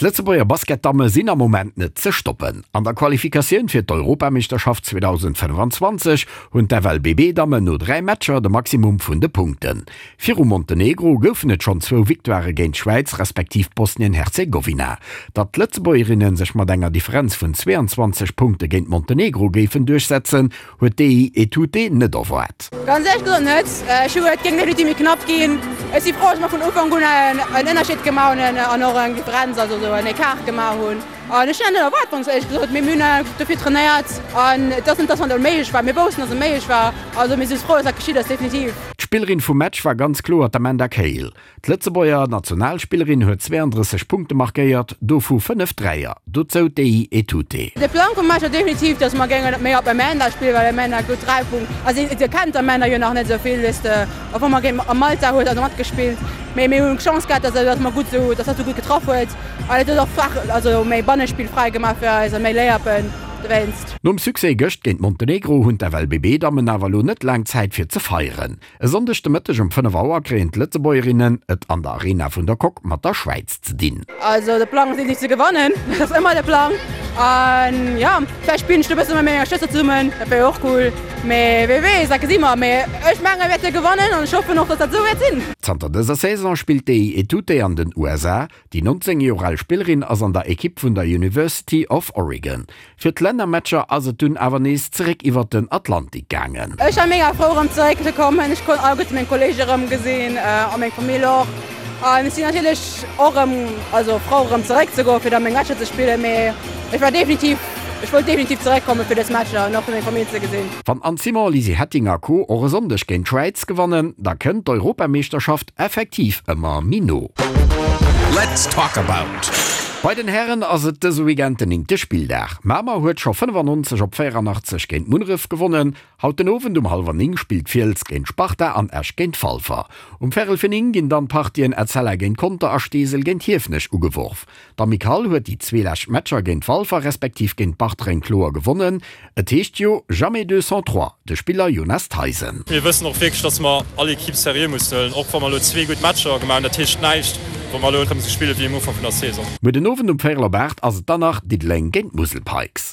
D'Lëtzebuerger Basketdamme sinn am Moment net ze stoppen. An der Qualifikatioun fir d'Europameeschterschaft 2025 hunn d'FLBB-Dammen no 3 Matcher de Maximum vun de Punkten. Viru Montenegro goufen et schonn zwou Victoirë géint d'Schwäiz respektiv Bosnien-Herzegowina. Datt d'Lëtzebuergerinne sech mat enger Differenz vun 22 Punkte géint Montenegro géifen duerchsetzen, Huet déi Etute net erwaart. Ganz éierlech gesot net. Ech hu et géing definitiv méi knapp ginn. Ech si frou, dass mer vun Ufank un en Ënnerscheed gemaach hunn an och eng Differenz, also esou en Ecart gemaach hunn. An ech hunn dat net erwaart, ganz éierlech gesot. Mee mir hunn dofir trainéiert an et ass net, dass mer onméiglech war. Mir woussten, dass et méiglech war. Also mir si frou, dass dat geschitt ass, definitiv. D'Spillerin vum Match war ganz kloer d'Amanda Cahill. D'Lëtzebuerger Nationalspillerin huet 32 Punkte markéiert, dovu 5 Dräier, dozou d'Ei Etute. De Plang vum Match war definitiv, dass mer géingen méi op Amanda spillen, well Amanda gutt 3 Punkt, also si kennt d'Amanda jo nach net esou vill, weess de, obwuel mer géint a Malta huet also matgespillt, mee mir hunn d'Chance gehat, dass dass mer gutt esou, dass hatt esou gutt getraff huet an et huet och Fach, also méi Bannespill fräi gemaach fir eis a méi Layuppen dowéinst. Nom Succès gëscht géint Montenegro hunn d'FLBB-Dammen awer elo net laang Zäit fir ze feieren. E Sonndeg de Mëtteg um 5 Auer kréien d'Lëtzebuergerinnen et an der Arena vun der Coque mat der Schwäiz ze dinn. Also de Plang ass definitiv ze gewannen, dat ass ëmmer de Plang. An jo, vläicht spillen ech do e bësse mat menger Schwëster zesummen, dat wär jo och cool. Mee wie weess, dat gesi mer. Mee ech menge mir wäerte gewannen an ech hoffen och, dass dat esou wäert sinn. Zanter dëser Saison spillt déi Etute an den USA. Déi 19 Joer al Spillerin ass an der Ekipp vun der University of Oregon. Fir d'Lännermatcher ass et dunn awer nees zeréck iwwert den Atlantik gaangen. Ech war mega frou erëm zeréck ze kommen. Ech konnt alleguerte meng Kolleege erëm gesinn a meng Famill och. An ech sinn natierlech och erëm, also frou erëm zeréck ze goen fir da meng Matcher ze spillen. Mee ech war definitiv, ech wollt definitiv zeréck komme fir dës Matcher an och fir meng Famill ze gesinn. Wann Anne Simon, Lisi Hetting a Co och e Sonndeg géint d'Schwäiz gewannen, da kënnt d'Europameeschterschaft effektiv ëmmer méi no. Let's talk about. Bei den Hären ass et dëse Weekend den néngte Spilldag. Mamer huet scho 95 op 84 géint Munneref gewonnen. Haut den Owend um hallwer 9 spillt Fiels géint Sparta an Esch géint Walfer. Um Vérel fir 9 ginn dann d'Partien Etzella géint Conter a Steesel géint Hiefenech ugeworf. D'Amicale huet déi zwee lescht Matcher géint Walfer respektiv géint Bartreng kloer gewonnen. Et heescht jo jamais deux sans trois, de Spiller Jonas Theisen. Mir wëssen och wierklech, dass mer all Ekipp seriö mussen huelen, och wa mer elo zwee gutt Matcher gemaach hunn. Dat heescht näischt, wa mer elo erëm esou spille wéi um Ufank vun der Saison. Muer den Owend um véierel op 8 ass et dann nach Diddeleng géint d'Musel Pikes.